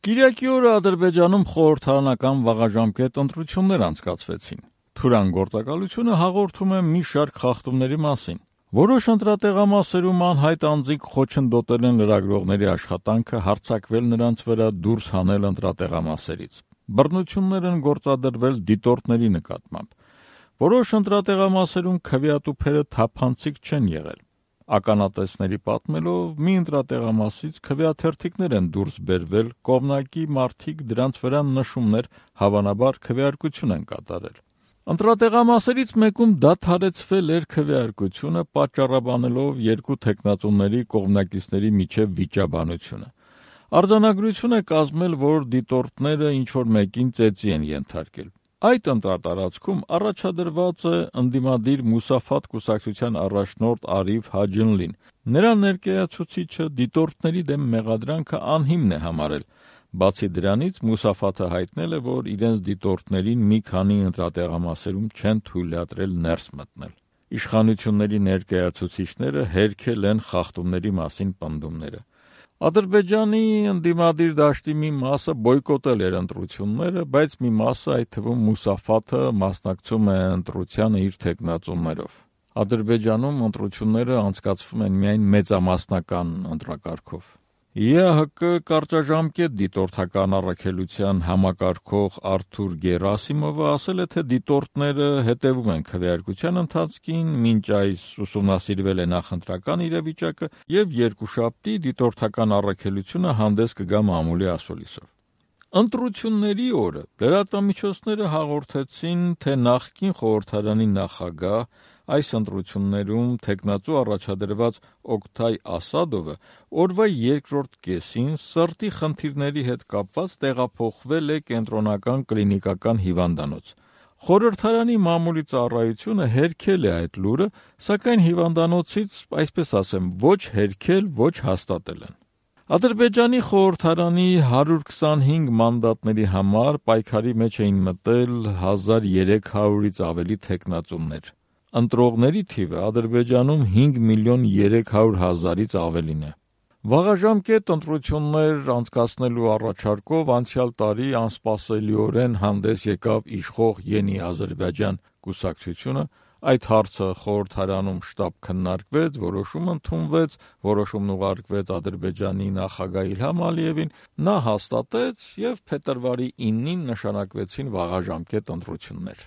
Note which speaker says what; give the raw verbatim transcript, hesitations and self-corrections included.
Speaker 1: Կիրակի օրը Ադրբեջանում խորհրդարանական վաղաժամկետ ընտրություններ անցկացվեցին։ Թուրան գործակալությունը հաղորդում է մի շարք խախտումների մասին։ Որոշ ընտրատեղամասերում անհայտ անձինք խոչընդոտել են լրագրողների աշխատանքը հարձակվել նրանց վրա դուրս հանել ընտրատեղամասերից։ Բռնություններ են գործադրվել դիտորդների նկատմամբ։ Որոշ ընտրատեղամասերում քվեատուփերը թափանցիկ չեն եղել։ Ականատեսների պատմելով մի ընտրատեղամասից քվեաթերթիկներ են դուրս բերվել, կողմնակի մարդիկ դրանց վրա նշումներ, հավանաբար քվեարկություն են կատարել։ Ընտրատեղամասերից մեկում դադարեցվել էր քվեարկությունը, պատճառաբանելով երկու թեկնածուների կողմնակիցների միջև վիճաբանությունը։ Արձանագրություն է կազմել, որ դիտորդները ինչ-որ մեկին ծեծի են ենթարկել։ Այդ ընտրատարածքում առաջադրված է ընդդիմադիր Մուսաֆաթ կուսակցության առաջնորդ Արիֆ Հաջինլին։ Նրա ներկայացուցիչը դիտորդների դեմ մեղադրանքը անհիմն է համարել։ Բացի դրանից, Մուսաֆաթը հայտնել է, որ իրենց դիտորդներին մի քանի ընտրատեղամասերում չեն թույլատրել ներս մտնել։ Իշխանությունների ներկայացուցիչները հերքել են խախտումների մասին պնդումները։ Ադրբեջանի ընդդիմադիր դաշտի մի մասը բոյկոտել էր ընտրությունները, բայց մի մասը, այդ թվում Մուսաֆաթը, մասնակցում է ընտրությանը իր թեկնածուներով։ Ադրբեջանում ընտրությունները անցկացվում են միայն մեծամասնական ընտրակարգով։ ԵԱՀԿ կարճաժամկետ դիտորդական առաքելության համակարգող Արթուր Գերասիմովը ասել է, թե դիտորդները հետևում են քվեարկության ընթացքին, մինչ այս ուսումնասիրվել է նախընտրական իրավիճակը և երկուշաբթի դիտորդական առաքելությունը հանդես կգա մամուլի ասուլիսով։ Ընտրությունների օրը լրատվամիջոցները հաղորդեցին, թե նախկին խորհրդարանի նախագահ, այս ընտրություններում թեկնածու առաջադրված Օկթայ Ասադովը օրվա երկրորդ կեսին սրտի խնդիրների հետ կապված տեղափոխվել է կենտրոնական կլինիկական հիվանդանոց։ Խորհրդարանի մամուլի ծառայությունը հերքել է այդ լուրը, սակայն հիվանդանոցից, այսպես ասեմ, ոչ հերքել, ոչ հաստատել են։ Ադրբեջանի խորհրդարանի հարյուր քսանհինգ մանդատների համար պայքարի մեջ էին մտել հազար երեք հարյուրից ավելի թեկնածուներ։ Ընտրողների թիվը Ադրբեջանում հինգ միլիոն երեք հարյուր հազարից ավելին է։ Վաղաժամկետ ընտրություններ անցկացնելու առաջարկով անցյալ տարի անսպասելիորեն հանդես եկավ իշխող Ենի Ադրբեջան կուսակցությունը։ Այդ հարցը խորհրդարանում շտապ քննարկվեց, որոշում ընդունվեց, որոշումն ուղարկվեց Ադրբեջանի նախագահ Իլհամ Ալիևին, նա հաստատեց և փետրվարի իննին նշանակվեցին վաղաժամկետ ընտրություններ։